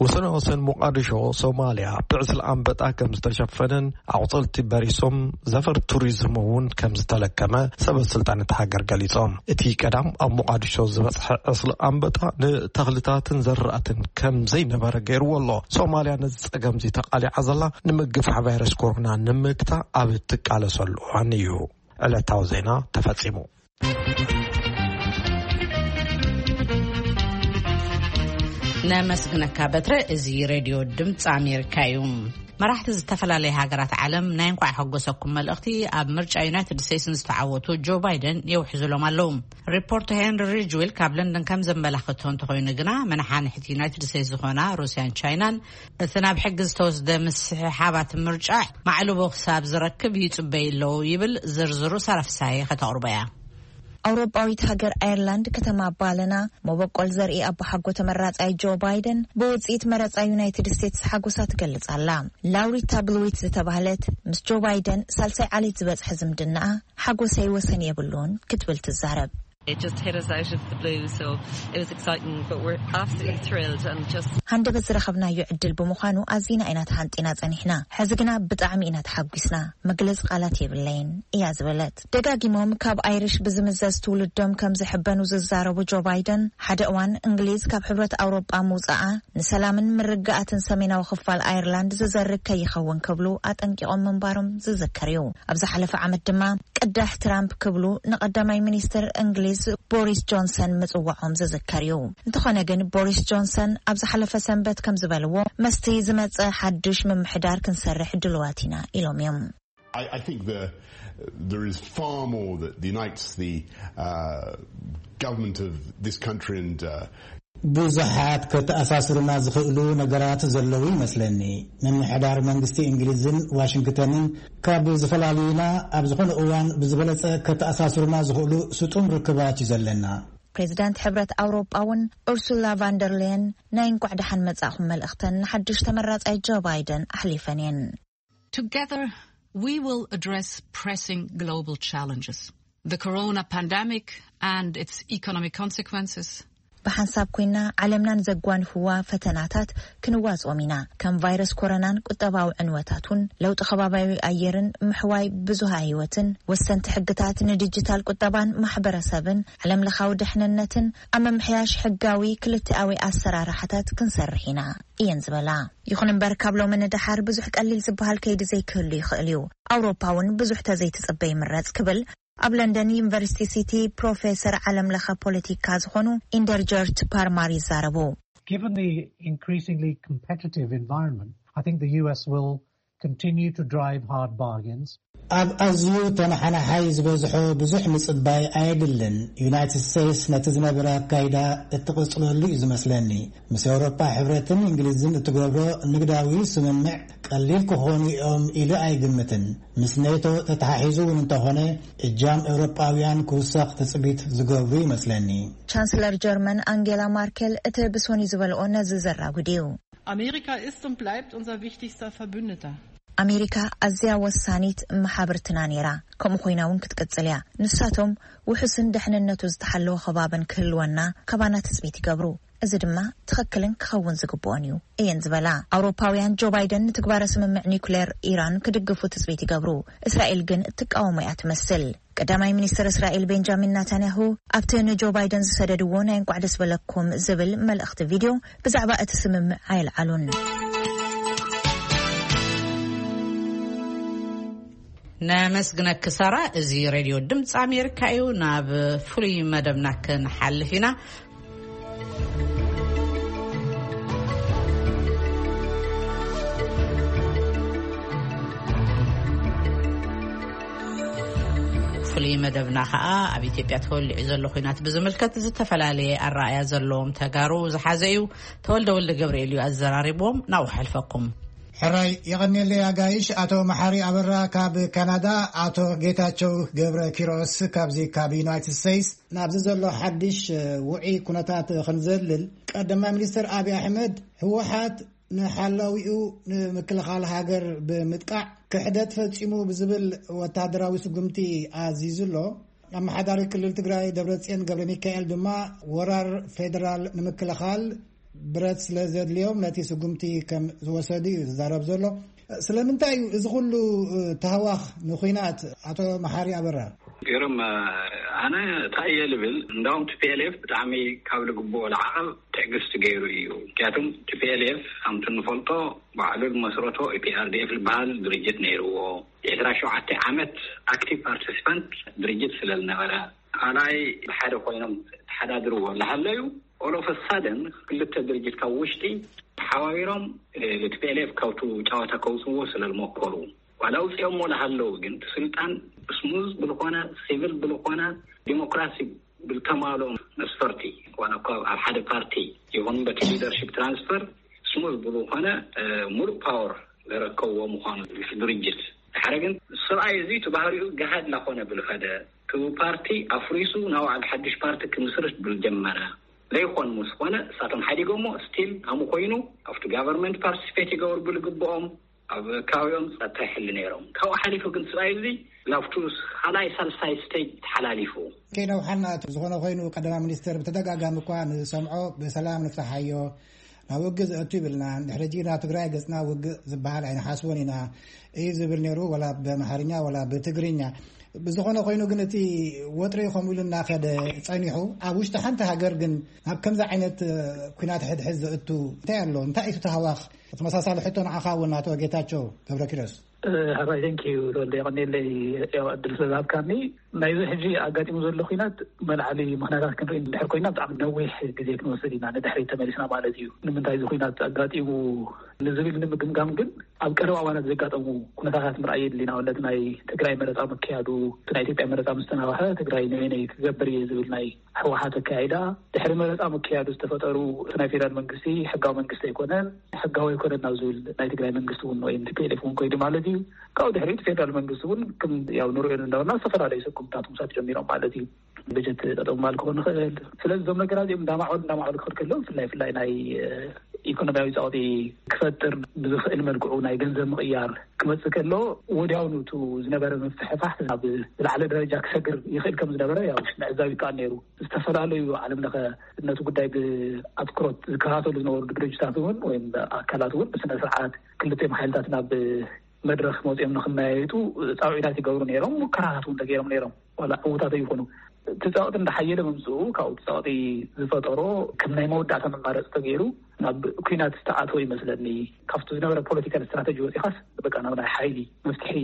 ወሰን ወሰን ሞቃዲሾ ሶማልያ ብዕስለ ኣንበጣ ከም ዝተሸፈነን ኣቑጸልቲ በሪሶም ዘፈር ቱሪዝም እውን ከም ዝተለከመ ሰበ ስልጣን እታ ሃገር ገሊጾም። እቲ ቀዳም ኣብ ሞቃዲሾ ዝበጽሐ ዕስለ ኣንበጣ ንተኽልታትን ዘራእትን ከም ዘይነበረ ገይርዎ ኣሎ። ሶማልያ ነዚ ጸገምዚ ተቓሊዓ ዘላ ንምግፋሕ ቫይረስ ኮሮና ንምግታ ኣብ እትቃለሰሉ እዋን እዩ። ዕለታዊ ዜና ተፈጺሙ። ነመስግነካ በትረ። እዚ ሬድዮ ድምፂ ኣሜሪካ እዩ። መራሕቲ ዝተፈላለየ ሃገራት ዓለም ናይ እንኳዕ ሓጎሰኩም መልእኽቲ ኣብ ምርጫ ዩናይትድ ስቴትስ ንዝተዓወቱ ጆ ባይደን የውሕዙሎም ኣለዉ። ሪፖርት ሄንሪ ሪጅዌል ካብ ለንደን ከም ዘመላኽቶ እንተኾይኑ ግና፣ መናሓንሕቲ ዩናይትድ ስቴትስ ዝኾና ሩስያን ቻይናን እቲ ናብ ሕጊ ዝተወስደ ምስሕሓባት ምርጫ ማዕልቦ ክሳብ ዝረክብ ይጽበዩ ኣለዉ ይብል። ዝርዝሩ ሳራ ፍሳሐ ከተቕርቦ እያ። ኣውሮጳዊት ሃገር ኣየርላንድ ከተማ ባለና መበቆል ዘርኢ ኣቦሓጎ ተመራጻይ ጆ ባይደን ብውጽኢት መረጻ ዩናይትድ ስቴትስ ሓጎሳ ትገልጽ ኣላ። ላውሪታ ብሉዊት ዝተባህለት ምስ ጆ ባይደን ሳልሳይ ዓሌት ዝበጽሐ ዝምድናኣ ሓጎሰይ ወሰን የብሉን ክትብል ትዛረብ። It just hit us out of the blue, so it was exciting, but we're absolutely thrilled and just ሃንደበት ዝረኸብናዮ ዕድል ብምዃኑ ኣዚና ኢና ተሃንጢና ጸኒሕና። ሕዚ ግና ብጣዕሚ ኢና ተሓጒስና። መግለጺ ቃላት የብለይን እያ ዝበለት። ደጋጊሞም ካብ ኣይሪሽ ብዝምዘዝ ትውልዶም ከም ዝሕበኑ ዝዛረቡ ጆ ባይደን፣ ሓደ እዋን እንግሊዝ ካብ ሕብረት ኣውሮጳ ምውጻኣ ንሰላምን ምርግጋኣትን ሰሜናዊ ክፋል ኣየርላንድ ዝዘርግ ከይኸውን ክብሉ ኣጠንቂቖም ምንባሮም ዝዝከር እዩ። ኣብ ዝሓለፈ ዓመት ድማ ቅዳሕ ትራምፕ ክብሉ ንቀዳማይ ሚኒስትር እንግሊዝ ቦሪስ ጆንሰን ምጽዋዖም ዝዝከር እዩ። እንተኾነ ግን ቦሪስ ጆንሰን ኣብ ዝሓለፈ ሰንበት ከም ዝበልዎ፣ መስቲ ዝመጸ ሓድሽ ምምሕዳር ክንሰርሕ ድልዋት ኢና ኢሎም እዮም። I, I think the, there is far more that unites the uh, government of this country and uh, ብዙሓት ከተኣሳስሩና ዝኽእሉ ነገራት ዘለዉ ይመስለኒ። ምምሕዳር መንግስቲ እንግሊዝን ዋሽንግተንን ካብ ዝፈላልዩና ኣብ ዝኾነ እዋን ብዝበለጸ ከተኣሳስሩና ዝኽእሉ ስጡም ርክባት እዩ ዘለና። ፕሬዚዳንት ሕብረት ኣውሮጳ እውን ኡርሱላ ቫንደርሌየን ናይ እንኳዕ ደሓን መጻእኹም መልእኽተን ንሓድሽ ተመራጻይ ጆ ባይደን ኣሕሊፈን እየን። Together, we will address pressing global challenges. The corona pandemic and its economic consequences. ብሓንሳብ ኮይና ዓለምና ንዘጓንፍዋ ፈተናታት ክንዋጽኦም ኢና። ከም ቫይረስ ኮሮናን ቁጠባዊ ዕንወታቱን፣ ለውጢ ከባቢያዊ ኣየርን ምሕዋይ ብዙሃ ህይወትን፣ ወሰንቲ ሕግታት ንዲጂታል ቁጠባን ማሕበረሰብን፣ ዓለም ለኻዊ ድሕንነትን ኣብ ምምሕያሽ ሕጋዊ ክልቲኣዊ ኣሰራርሓታት ክንሰርሕ ኢና እየን ዝበላ። ይኹን እምበር ካብ ሎሚ ንደሓር ብዙሕ ቀሊል ዝበሃል ከይዲ ዘይክህሉ ይኽእል እዩ። ኣውሮፓ እውን ብዙሕ ተዘይትጽበ ይምረጽ ክብል ኣብ ለንደን ዩኒቨርሲቲ ሲቲ ፕሮፌሰር ዓለም ለኸ ፖለቲካ ዝኾኑ ኢንደርጀርት ፓርማር ይዛረቡ። Given the increasingly competitive environment, I think the U S will continue to drive hard bargains. ኣብ ኣዝዩ ተነሓናሓይ ዝበዝሖ ብዙሕ ምጽባይ ኣየድልን። ዩናይትድ ስቴትስ ነቲ ዝነበረ ኣካይዳ እትቕጽለሉ እዩ ዝመስለኒ። ምስ ኤውሮጳ ሕብረትን እንግሊዝን እትገብሮ ንግዳዊ ስምምዕ ቀሊል ክኾኑ እዮም ኢሉ ኣይግምትን። ምስ ኔቶ ተተሓሒዙ እውን እንተኾነ እጃም ኤውሮጳውያን ክውሰኽ ትጽቢት ዝገብሩ ይመስለኒ። ቻንስለር ጀርመን ኣንጌላ ማርኬል እቲ ብሶኒ ዝበልኦ ነዚ ዘራጉድ እዩ። Amerika ist und bleibt unser wichtigster Verbündeter. ኣሜሪካ ኣዝያ ወሳኒት መሓብርትና ነይራ፣ ከምኡ ኮይና እውን ክትቅጽል እያ። ንሳቶም ውሑስን ድሕንነቱ ዝተሓለወ ከባብን ክህልወና ካባና ትጽቢት ይገብሩ። እዚ ድማ ትኽክልን ክኸውን ዝግብኦን እዩ እየን ዝበላ። ኣውሮፓውያን ጆ ባይደን ንትግባረ ስምምዕ ኒውክሌር ኢራን ክድግፉ ትጽቢት ይገብሩ። እስራኤል ግን እትቃወሞ እያ ትመስል። ቀዳማይ ሚኒስትር እስራኤል ቤንጃሚን ናታንያሁ ኣብቲ ንጆ ባይደን ዝሰደድዎ ናይ እንቋዕ ደስ በለኩም ዝብል መልእኽቲ ቪድዮ ብዛዕባ እቲ ስምምዕ ኣየልዓሉን። ነመስግነኪ ሳራ። እዚ ሬድዮ ድምፂ ኣሜሪካ እዩ። ናብ ፍሉይ መደብና ክንሓልፍ ኢና። ፍሉይ መደብና ኸኣ ኣብ ኢትዮጵያ ተወሊዑ ዘሎ ኲናት ብዝምልከት ዝተፈላለየ ኣረኣእያ ዘለዎም ተጋሩ ዝሓዘ እዩ። ተወልደ ወልደ ገብርኤል እዩ ኣዘራሪብዎም። ናብኡ ሓልፈኩም። ሕራይ የቐንየለይ ኣጋይሽ። ኣቶ መሓሪ ኣበራ ካብ ካናዳ፣ ኣቶ ጌታቸው ገብረ ኪሮስ ካብዚ ካብ ዩናይትድ ስቴትስ። ናብዚ ዘሎ ሓድሽ ውዒ ኩነታት ክንዘልል፣ ቀዳማይ ሚኒስትር ኣብይ ኣሕመድ ህወሓት ንሓላዊኡ ንምክልኻል ሃገር ብምጥቃዕ ክሕደት ፈጺሙ ብዝብል ወታደራዊ ስጉምቲ ኣዚዙ ኣሎ። ኣመሓዳሪ ክልል ትግራይ ደብረጽዮን ገብረ ሚካኤል ድማ ወራር ፌደራል ንምክልኻል ብረት ስለ ዘድልዮም ነቲ ስጉምቲ ከም ዝወሰዱ እዩ ዝዛረብ ዘሎ። ስለምንታይ እዩ እዚ ኩሉ ታህዋኽ ንኹናት? ኣቶ መሓሪ ኣበራ። ገርም፣ ኣነ እንታይ እየ ልብል፣ እንዳውም ቲ ፒ ኤል ኤፍ ብጣዕሚ ካብ ልግብኦ ልዓቐብ ትዕግስቲ ገይሩ እዩ። ምክንያቱም ቲ ፒ ኤል ኤፍ ከምቲ እንፈልጦ ባዕሉ ዝመስረቶ ኢ ፒ ኣር ዲ ኤፍ ዝበሃል ድርጅት ነይርዎ። ዕስራ ሸውዓተ ዓመት ኣክቲቭ ፓርቲሲፓንት ድርጅት ስለ ዝነበረ፣ ካልኣይ ብሓደ ኮይኖም ተሓዳድርዎ እናሃለዩ፣ ኦል ኦፍ ሳደን ክልተ ድርጅት ካብ ውሽጢ ተሓባቢሮም፣ እ፣ ቲ ፒ ኤል ኤፍ ካብቱ ጨዋታ ከውፅዎ ስለ ዝመከሩ፣ ዋላ ኣውፅኦሞ እናሃለዉ ግን፣ እቲ ስልጣን ስሙዝ ብልኾነ፣ ሲቪል ብልኾነ፣ ዲሞክራሲ ብልተማልኦ መስፈርቲ፣ ዋላ እኳ ኣብ ሓደ ፓርቲ ይኹን በቲ ሊደርሺፕ ትራንስፈር ስሙዝ ብዝኾነ፣ እ፣ ሙሉእ ፓወር ዘረከብዎ ምዃኑ ድርጅት። ድሓረ ግን ሰብኣይ እዚ እቲ ባህሪኡ ገሃድ እናኾነ ብልኸደ፣ ክቡ ፓርቲ ኣፍሪሱ ናብ ባዕሉ ሓድሽ ፓርቲ ክምስርት ብዝጀመረ ዘይኮን ምስ ኮነ እሳቶም ሓዲጎሞ ስቲል ኣሙ ኮይኑ ኣብቲ ጋቨርንመንት ፓርቲስፔት ይገብሩ ብልግብኦም ኣብ ከባቢኦም ጸጥታ ይሕሉ ነይሮም። ካብኡ ሓሊፉ ግን ስብኣይ እዚ ላብቱ ካልኣይ ሳልሳይ ስቴጅ ተሓላሊፉ። ከይነውሓና ዝኾነ ኮይኑ ቀዳማይ ሚኒስትር ብተደጋጋሚ እኳ ንሰምዖ ብሰላም ንፍታሓዮ ናብ ውግእ ዘእቱ ይብልና። ድሕሪ ሕጂ ናብ ትግራይ ገጽና ውግእ ዝበሃል ኣይንሓስቦን ኢና እዩ ዝብል ነይሩ፣ ወላ ብኣምሓርኛ ወላ ብትግርኛ። ብዝኾነ ኮይኑ ግን እቲ ወጥሪ ከምኡ ኢሉ እናኸደ ጸኒሑ ኣብ ውሽጢ ሓንቲ ሃገር ግን ናብ ከምዚ ዓይነት ኩናት ሕድሕድ ዘእቱ እንታይ ኣሎ? እንታይ እዩ እቲ ተሃዋኽ? ተመሳሳሊ ሕቶ ንዓኻ እውን ኣቶ ጌታቸው ገብረኪሮስ። ሃባይ፣ ቴንክ ዩ ተወልደ፣ የቐኔለይ ያው ዕድል ስለዝሃብካኒ። ናይዚ ሕጂ ኣጋጢሙ ዘሎ ኩናት መልዓሊ ምኽንያታት ክንርኢ እንድሕር ኮይና ብጣዕሚ ነዊሕ ግዜ ክንወስድ ኢና፣ ንድሕሪት ተመሊስና ማለት እዩ። ንምንታይ እዚ ኩናት ኣጋጢሙ ንዝብል ንምግምጋም ግን ኣብ ቀረባ እዋናት ዘጋጠሙ ኩነታታት ምርኣይ የድሊ። ንኣብነት ናይ ትግራይ መረፃ ምክያዱ፣ እቲ ናይ ኢትዮጵያ መረፃ ምስ ተናውሐ ትግራይ ንበይነይ ክገብር እየ ዝብል ናይ ህወሓት ኣካያይዳ፣ ድሕሪ መረፃ ምክያዱ ዝተፈጠሩ እቲ ናይ ፌደራል መንግስቲ ሕጋዊ መንግስቲ ኣይኮነን፣ ሕጋዊ ኣይኮነን ናብ ዝብል ናይ ትግራይ መንግስቲ እውን ወይም ቲ ፒ ኤል ኤፍ እውን ኮይዱ ማለት እዩ። ካብኡ ድሕሪኡ እቲ ፌደራል መንግስቲ እውን ከም ያው ንሪኦ እንዳበልና ዝተፈላለዩ ስጉምታት ምውሳድ ጀሚሮም ማለት እዩ። በጀት ጠጠው ማል ክኾን ይኽእል። ስለዚ እዞም ነገራት እዚኦም እንዳማዕበሉ እንዳማዕበሉ ክኸድ ከሎ ብፍላይ ብፍላይ ናይ ኢኮኖሚያዊ ፃውቲ ክፈጥር ብዝኽእል መልክዑ ናይ ገንዘብ ምቕያር ክመፅእ ከሎ ወዲያውኑ እቲ ዝነበረ ምፍሕፋሕ ናብ ዝለዓለ ደረጃ ክሰግር ይኽእል ከም ዝነበረ ያው ምዕዛብ ይከኣል ነይሩ። ዝተፈላለዩ ዓለም ለኸ ነቲ ጉዳይ ብኣትኩሮት ዝከታተሉ ዝነበሩ ድርጅታት እውን ወይም ኣካላት እውን ብስነ ስርዓት ክልቲኦም ሓይልታት ናብ መድረኽ መፂኦም ንክመያየጡ ፃውዒታት ይገብሩ ነይሮም፣ ሙከራታት እውን ተገይሮም ነይሮም። ዋላ ዕዉታት ይኹኑ እቲ ፃውዒት እንዳሓየለ ምምፅኡ ካብኡ እቲ ፃውዒት ዝፈጠሮ ከም ናይ መወዳእታ መማረፂ ተገይሩ ናብ ኩናት ዝተኣተወ ይመስለኒ። ካብቲ ዝነበረ ፖለቲካል ስትራተጂ ወፂኻስ በቃ ናብ ናይ ሓይሊ መፍትሒ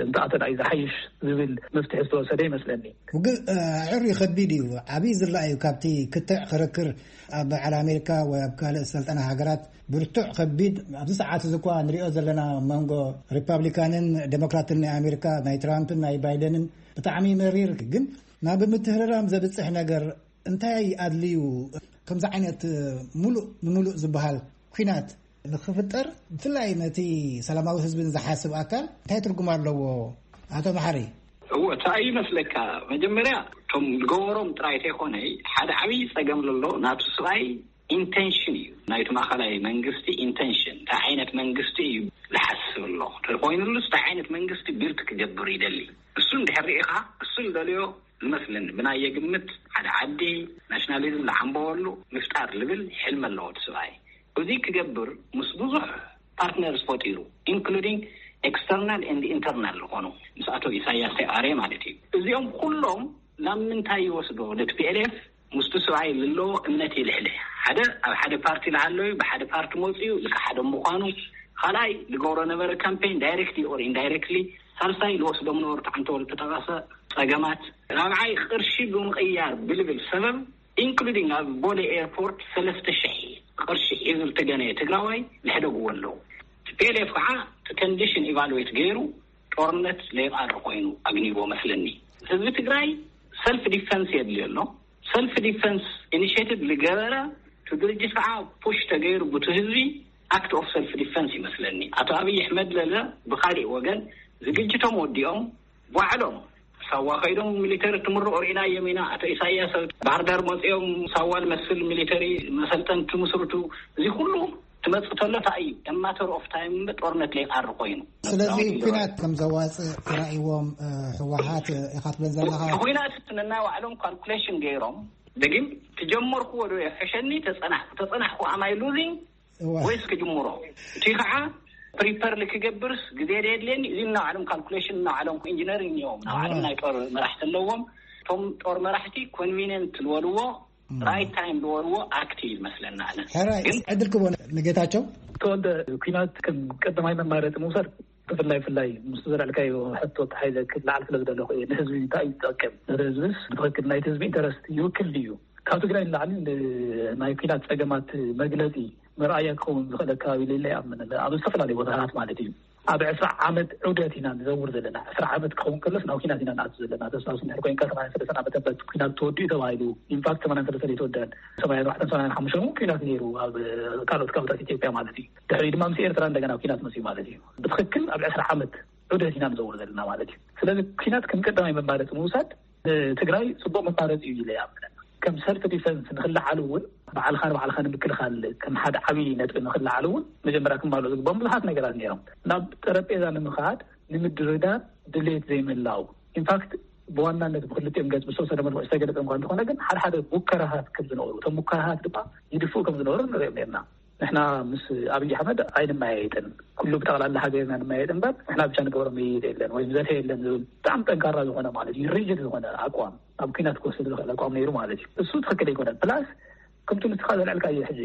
እንተኣተና እዩ ዝሓይሽ ዝብል መፍትሒ ዝተወሰደ ይመስለኒ። ውግእ ኣዕሪ ከቢድ እዩ። ዓብዪ ዝላ እዩ ካብቲ ክትዕ ክርክር ኣብ በዓል ኣሜሪካ ወይ ኣብ ካልእ ሰልጠና ሃገራት ብርቱዕ ከቢድ ኣብዚ ሰዓት እዚ እኳ ንሪኦ ዘለና መንጎ ሪፓብሊካንን ዴሞክራትን ናይ ኣሜሪካ ናይ ትራምፕን ናይ ባይደንን ብጣዕሚ መሪር ግን ናብ ምትህርራም ዘብፅሕ ነገር እንታይ ኣድልዩ ከምዚ ዓይነት ሙሉእ ንሙሉእ ዝበሃል ኩናት ንክፍጠር ብፍላይ ነቲ ሰላማዊ ህዝቢ ዝሓስብ ኣካል እንታይ ትርጉም ኣለዎ? ኣቶ መሓሪ። እዎ፣ እንታይ እዩ መስለካ፣ መጀመርያ እቶም ዝገበሮም ጥራይ ተይኮነ ሓደ ዓብዪ ፀገም ዘሎ ናቱ ስብኣይ ኢንቴንሽን እዩ። ናይቲ ማእኸላይ መንግስቲ ኢንቴንሽን እንታይ ዓይነት መንግስቲ እዩ ዝሓስብ ኣሎ ተኮይኑሉስ እንታይ ዓይነት መንግስቲ ቢልድ ክገብር ይደሊ? እሱ እንድሕር ርኢኻ እሱ ዝደልዮ ዝመስለኒ ብናየ ግምት ሓደ ዓዲ ናሽናሊዝም ዝዓምበወሉ ምፍጣር ልብል ሕልሚ ኣለዎ እቲ ስብኣይ። እዚ ክገብር ምስ ብዙሕ ፓርትነርስ ፈጢሩ ኢንክሉዲንግ ኤክስተርናል ኤንድ ኢንተርናል ዝኾኑ ምስ ኣቶ ኢሳያስ ተቃሬ ማለት እዩ። እዚኦም ኩሎም ናብ ምንታይ ይወስዶ? ነቲ ፒ ኤል ኤፍ ምስቲ ስብኣይ ዘለዎ እምነት ይልሕልሕ። ሓደ ኣብ ሓደ ፓርቲ ዝሃለዩ ብሓደ ፓርቲ መፅኡ ዝከሓደ ምዃኑ፣ ካልኣይ ዝገብሮ ነበረ ካምፔን ዳይሬክትሊ ኦር ኢንዳይሬክትሊ፣ ሳልሳይ ዝወስዶም ነበሩ ተዓንተወሉ ተጠቐሰ ፀገማት፣ ራብዓይ ቅርሺ ብምቕያር ብልብል ሰበብ ኢንክሉዲንግ ኣብ ቦሌ ኤርፖርት ሰለስተ ሺሕ ቅርሺ ሒዙ ዝተገነየ ትግራዋይ ዝሕደግዎ ኣለዉ። ቲ ፒ ኤል ኤፍ ከዓ እቲ ኮንዲሽን ኢቫሉዌት ገይሩ ጦርነት ለይቃሪ ኮይኑ ኣግኒዎ መስለኒ። ህዝቢ ትግራይ ሰልፍ ዲፈንስ የድልዮ ኣሎ። ሰልፍ ዲፈንስ ኢኒሽቲቭ ዝገበረ እቲ ድርጅት ከዓ ፑሽ ተገይሩ ብቲ ህዝቢ ኣክት ኦፍ ሰልፍ ዲፈንስ ይመስለኒ። ኣቶ ኣብይ ኣሕመድ ለለ ብካሊእ ወገን ዝግጅቶም ወዲኦም ባዕሎም ሳዋ ከይዶም ሚሊተሪ ትምርቑ ርኢናዮም ኢና። ኣቶ ኢሳያስ ኣብ ባህርዳር መፂኦም ሳዋ ዝመስል ሚሊተሪ መሰልጠን ትምስርቱ። እዚ ኩሉ ትመፅእ ተሎ እንታይ እዩ? ማተር ኦፍ ታይም እምበር ጦርነት ለይቃሪ ኮይኑ። ስለዚ ኩናት ከም ዘዋፅእ ተራእይዎም ህወሓት ኢኻ ትብለን ዘለኻ? ኩናት ነናይ ባዕሎም ካልኩሌሽን ገይሮም፣ ደጊም ትጀመርክዎ ዶ የሕሸኒ ተፀናሕኩ ተፀናሕኩ ኣማይ ሉዚንግ ወይስ ክጅምሮ? እቲ ከዓ ፕሪፐር ክገብርስ ግዜ ዶ የድልየኒ? እዚ እናባዕሎም ካልኩሌሽን እናባዕሎም ኢንጂነሪንግ እዮም። እናባዕሎም ናይ ጦር መራሕቲ ኣለዎም። እቶም ጦር መራሕቲ ኮንቪኒየንት ዝበልዎ ራይት ታይም ዝበልዎ ኣክት እዩ ዝመስለና። ኣነ ሕራይ ግን ዕድል ክቦ ንጌታቸው። ተወልደ፣ ኩናት ከም ቀዳማይ መማረፂ ምውሳድ ብፍላይ ብፍላይ ምስ ዘልዕልካዮ ሕቶ ተሓይዘ ክለዓል ስለ ዝደለኹ እየ። ንህዝቢ እንታይ እዩ ዝጠቅም? ነቲ ህዝብስ ብትኽክል ናይቲ ህዝቢ ኢንተረስት ይውክል ድዩ? ካብ ትግራይ ንላዕሊ ናይ ኩናት ፀገማት መግለፂ መርኣያ ክኸውን ዝኽእል ኣከባቢ ሌለ ይኣምን። ኣብ ዝተፈላለዩ ቦታታት ማለት እዩ። ኣብ ዕስራ ዓመት ዑደት ኢና ንዘውር ዘለና። ዕስራ ዓመት ክኸውን ከሎስ ናብ ኩናት ኢና ንኣቱ ዘለና። ተስታውስ እንድሕር ኮይንካ ሰማንያ ሰለስተ ዓመተ ምህረት ኩናት ተወዲኡ ተባሂሉ። ኢንፋክት ሰማንያ ሰለስተ ዘይተወደአን ሰማንያ ኣርባዕተን ሰማንያ ሓሙሽተን እውን ኩናት ነይሩ ኣብ ካልኦት ከባብታት ኢትዮጵያ ማለት እዩ። ድሕሪ ድማ ምስ ኤርትራ እንደገና ኩናት መፅዩ ማለት እዩ። ብትኽክል ኣብ ዕስራ ዓመት ዑደት ኢና ንዘውር ዘለና ማለት እዩ። ስለዚ ኩናት ከም ቀዳማይ መማረፂ ምውሳድ ትግራይ ጽቡቅ መፋረፂ እዩ ኢለ ይኣምነን። ከም ሰልፍ ዲፈንስ ንክለዓሉ እውን፣ ባዕልካ ንባዕልካ ንምክልኻል ከም ሓደ ዓብዪ ነጥቢ ንክለዓሉ እውን መጀመርያ ክማልኡ ዝግባኦም ብዙሓት ነገራት ነይሮም። ናብ ጠረጴዛ ንምኻድ ንምድርዳር ድሌት ዘይምላው፣ ኢንፋክት ብዋናነት ብክልቲኦም ገጽ ብዝተወሰነ መልኩ ዝተገለጸ እንኳ እንተኾነ፣ ግን ሓደ ሓደ ሙከራታት ከም ዝነበሩ፣ እቶም ሙከራታት ድማ ይድፍኡ ከም ዝነበሩ ንሪኦም ነርና። ንሕና ምስ ኣብይ ኣሕመድ ኣይንመያየጥን፣ ኩሉ ብጠቕላላ ሃገርና ንመያየጥ እምበር ንሕና ብቻ ንገብሮ መይይጥ የለን ወይም ዘተ የለን ዝብል ብጣዕሚ ጠንካራ ዝኾነ፣ ማለት እዩ፣ ሪጅድ ዝኾነ ኣቋም፣ ኣብ ኩናት ክወስድ ዝኽእል ኣቋም ነይሩ ማለት እዩ። እሱ ትኽክል ኣይኮነን። ፕላስ ከምቲ ንስኻ ዘልዕልካዮ ሕጂ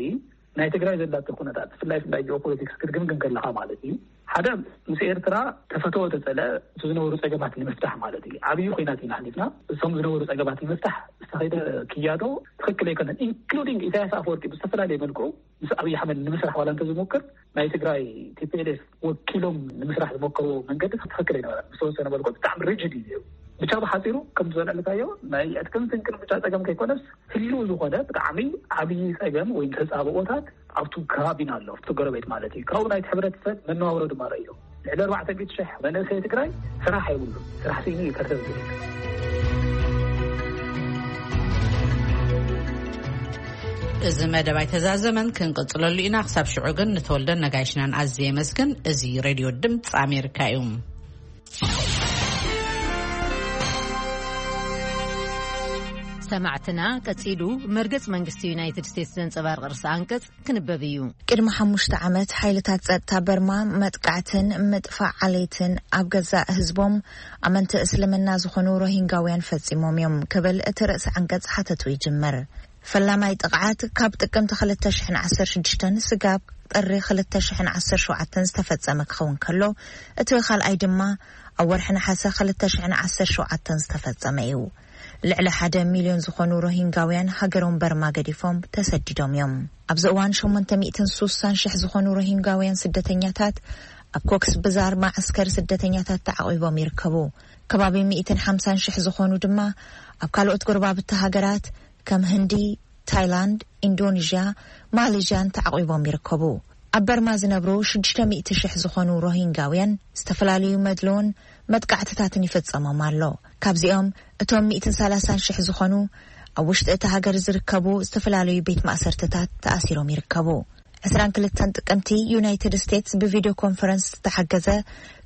ናይ ትግራይ ዘላቶ ኩነታት፣ ብፍላይ ብፍላይ ጂኦፖለቲክስ ክትግምግም ከለኻ ማለት እዩ፣ ሓደ ምስ ኤርትራ ተፈተወ ተጸለ እቲ ዝነበሩ ጸገማት ንምፍታሕ ማለት እዩ። ዓብዪ ኩናት ኢና ኣሕሊፍና። እቶም ዝነበሩ ጸገማት ንምፍታሕ ዝተኸይደ ክያዶ ትኽክል ኣይኮነን። ኢንክሉዲንግ ኢሳያስ ኣፈወርቂ ብዝተፈላለየ መልክዑ ምስ ኣብይ ኣሕመድ ንምስራሕ ዋላ እንተዝሞክር፣ ናይ ትግራይ ቲ ፒ ኤል ኤፍ ወኪሎም ንምስራሕ ዝሞከርዎ መንገዲ ትኽክል ኣይነበረን። ዝተወሰነ መልክዑ ብጣዕሚ ሪጅድ እዩ ነይሩ። ብቻ ብሓፂሩ ከም ዝበለልካዮ ናይ ዕጥቅን ስንቅን ብቻ ጸገም ከይኮነስ ህልው ዝኾነ ብጣዕሚ ዓብዪ ጸገም ወይ ተጻብኦታት ኣብቱ ከባቢና ኣሎ፣ ኣብቱ ጎረቤት ማለት እዩ። ካብኡ ናይቲ ሕብረተሰብ መነባብሮ ድማ ረእዮ። ልዕሊ ኣርባዕተ ሚእቲ ሽሕ መንእሰይ ትግራይ ስራሕ የብሉን። ስራሕ ስኢኑ እዩ ከርተት ዝብል። እዚ መደብ ኣይተዛዘመን፣ ክንቅጽለሉ ኢና። ክሳብ ሽዑ ግን ንተወልደን ነጋይሽናን ኣዝየ የመስግን። እዚ ሬድዮ ድምፂ ኣሜሪካ እዩ። ሰማዕትና፣ ቀጺሉ መርገጽ መንግስቲ ዩናይትድ ስቴትስ ዘንጸባርቕ ርእሰ ኣንቀጽ ክንበብ እዩ። ቅድሚ ሓሙሽተ ዓመት ሓይልታት ጸጥታ በርማ መጥቃዕትን ምጥፋእ ዓሌትን ኣብ ገዛእ ህዝቦም ኣመንቲ እስልምና ዝኾኑ ሮሂንጋውያን ፈጺሞም እዮም ክብል እቲ ርእሰ ኣንቀጽ ሓተቱ ይጅምር። ፈላማይ ጥቕዓት ካብ ጥቅምቲ ክልተ ሽሕን ዓሰርተ ሽዱሽተን ስጋብ ጥሪ ክልተ ሽሕን ዓሰርተ ሸውዓተን ዝተፈጸመ ክኸውን ከሎ፣ እቲ ካልኣይ ድማ ኣብ ወርሒ ነሓሰ ክልተ ሽሕን ዓሰርተ ሸውዓተን ዝተፈጸመ እዩ። ልዕሊ ሓደ ሚልዮን ዝኾኑ ሮሂንጋውያን ሃገሮም በርማ ገዲፎም ተሰዲዶም እዮም። ኣብዚ እዋን ሸሞንተ ሚእትን ሱሳን ሽሕ ዝኾኑ ሮሂንጋውያን ስደተኛታት ኣብ ኮክስ ብዛር መዓስከር ስደተኛታት ተዓቒቦም ይርከቡ። ከባቢ ሚእትን ሓምሳን ሽሕ ዝኾኑ ድማ ኣብ ካልኦት ጎረባብቲ ሃገራት ከም ህንዲ፣ ታይላንድ፣ ኢንዶኔዥያ፣ ማሌዥያን ተዓቒቦም ይርከቡ። ኣብ በርማ ዝነብሩ ሽዱሽተ ሚእቲ ሽሕ ዝኾኑ ሮሂንጋውያን ዝተፈላለዩ መድልውን መጥቃዕትታትን ይፍጸሞም ኣሎ። ካብዚኦም እቶም ሚእትን ሰላሳን ሽሕ ዝኾኑ ኣብ ውሽጢ እታ ሃገር ዝርከቡ ዝተፈላለዩ ቤት ማእሰርትታት ተኣሲሮም ይርከቡ። ዕስራን ክልተን ጥቅምቲ ዩናይትድ ስቴትስ ብቪድዮ ኮንፈረንስ ዝተሓገዘ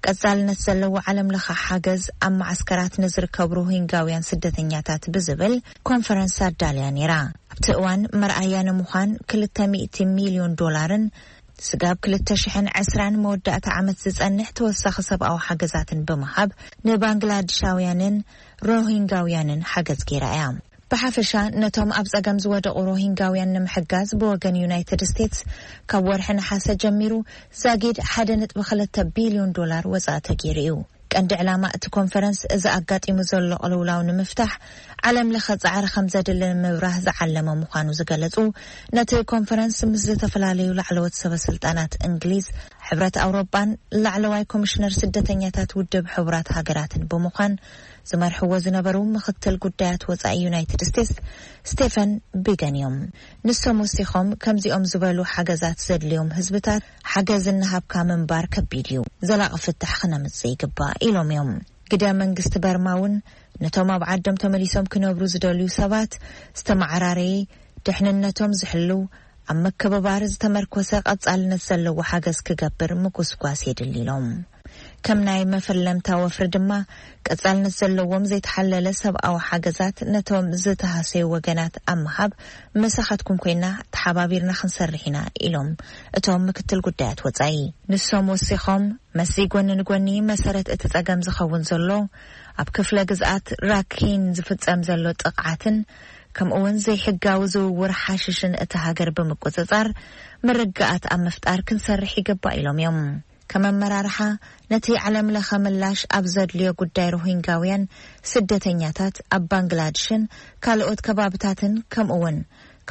ቀጻልነት ዘለዎ ዓለም ለኸ ሓገዝ ኣብ መዓስከራት ንዝርከቡ ሮሂንጋውያን ስደተኛታት ብዝብል ኮንፈረንስ ኣዳልያ ነይራ። ኣብቲ እዋን መርኣያ ንምዃን ክልተ ሚእቲ ሚልዮን ዶላርን ስጋብ ክልተ ሽሕን ዕስራን መወዳእታ ዓመት ዝጸንሕ ተወሳኺ ሰብኣዊ ሓገዛትን ብምሃብ ንባንግላድሻውያንን ሮሂንጋውያንን ሓገዝ ገይራ እያ። ብሓፈሻ ነቶም ኣብ ጸገም ዝወደቑ ሮሂንጋውያን ንምሕጋዝ ብወገን ዩናይትድ ስቴትስ ካብ ወርሒ ነሓሰ ጀሚሩ ዛጊድ ሓደ ነጥቢ ክልተ ቢልዮን ዶላር ወጻኢ ተገይሩ እዩ። ቀንዲ ዕላማ እቲ ኮንፈረንስ እዚ ኣጋጢሙ ዘሎ ቅልውላው ንምፍታሕ ዓለም ለኸ ጻዕሪ ከም ዘድሊ ንምብራህ ዝዓለመ ምዃኑ ዝገለጹ ነቲ ኮንፈረንስ ምስ ዝተፈላለዩ ላዕለዎት ሰበ ስልጣናት እንግሊዝ፣ ሕብረት ኣውሮጳን ላዕለዋይ ኮሚሽነር ስደተኛታት ውድብ ሕቡራት ሃገራትን ብምዃን ዝመርሕዎ ዝነበሩ ምኽትል ጉዳያት ወጻኢ ዩናይትድ ስቴትስ ስቴፈን ቢገን እዮም። ንሶም ወሲኾም ከምዚኦም ዝበሉ ሓገዛት ዘድልዮም ህዝብታት ሓገዝ እናሃብካ ምንባር ከቢድ እዩ፣ ዘላቒ ፍታሕ ክነምጽእ ይግባእ ኢሎም እዮም። ግደ መንግስቲ በርማ እውን ነቶም ኣብ ዓዶም ተመሊሶም ክነብሩ ዝደልዩ ሰባት ዝተመዓራረየ፣ ድሕንነቶም ዝሕልው፣ ኣብ ምክብባር ዝተመርኮሰ ቀጻልነት ዘለዎ ሓገዝ ክገብር ምጉስጓስ የድሊ ኢሎም። ከም ናይ መፈለምታ ወፍሪ ድማ ቀጻልነት ዘለዎም ዘይተሓለለ ሰብኣዊ ሓገዛት ነቶም ዝተሃሰዩ ወገናት ኣብ ምሃብ ምሳኻትኩም ኮይና ተሓባቢርና ክንሰርሕ ኢና ኢሎም እቶም ምክትል ጉዳያት ወጻኢ። ንሶም ወሲኾም መስዚ ጎኒ ንጎኒ መሰረት እቲ ጸገም ዝኸውን ዘሎ ኣብ ክፍለ ግዝኣት ራኪን ዝፍጸም ዘሎ ጥቕዓትን ከምኡ እውን ዘይሕጋዊ ዝውውር ሓሽሽን እቲ ሃገር ብምቁጽጻር ምርግኣት ኣብ ምፍጣር ክንሰርሕ ይግባእ ኢሎም እዮም። ከም ኣመራርሓ ነቲ ዓለም ለኸ ምላሽ ኣብ ዘድልዮ ጉዳይ ሮሂንጋውያን ስደተኛታት ኣብ ባንግላድሽን ካልኦት ከባብታትን ከምኡ እውን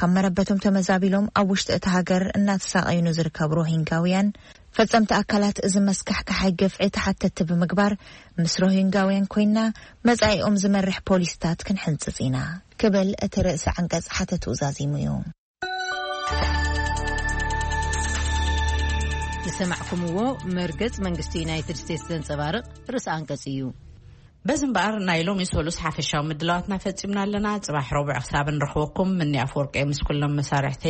ካብ መረበቶም ተመዛቢሎም ኣብ ውሽጢ እቲ ሃገር እናተሳቐዩ ንዝርከቡ ሮሂንጋውያን ፈጸምቲ ኣካላት እዚ መስካሕካሓይ ግፍዒ ተሓተቲ ብምግባር ምስ ሮሂንጋውያን ኮይና መጻኢኦም ዝመርሕ ፖሊስታት ክንሕንጽጽ ኢና ክብል እቲ ርእሲ ዓንቀጽ ሓተትኡ ዛዚሙ እዩ። ዝሰማዕኩምዎ መርገጽ መንግስቲ ዩናይትድ ስቴትስ ዘንጸባርቕ ርእሲ ኣንቀጽ እዩ። በዚ እምበኣር ናይ ሎሚ ሰሉስ ሓፈሻዊ ምድላዋትና ፈጺምና ኣለና። ጽባሕ ረቡዕ ክሳብ ንረኽበኩም፣ ምኒ ኣፈወርቂ ምስ ኩሎም መሳርሕተይ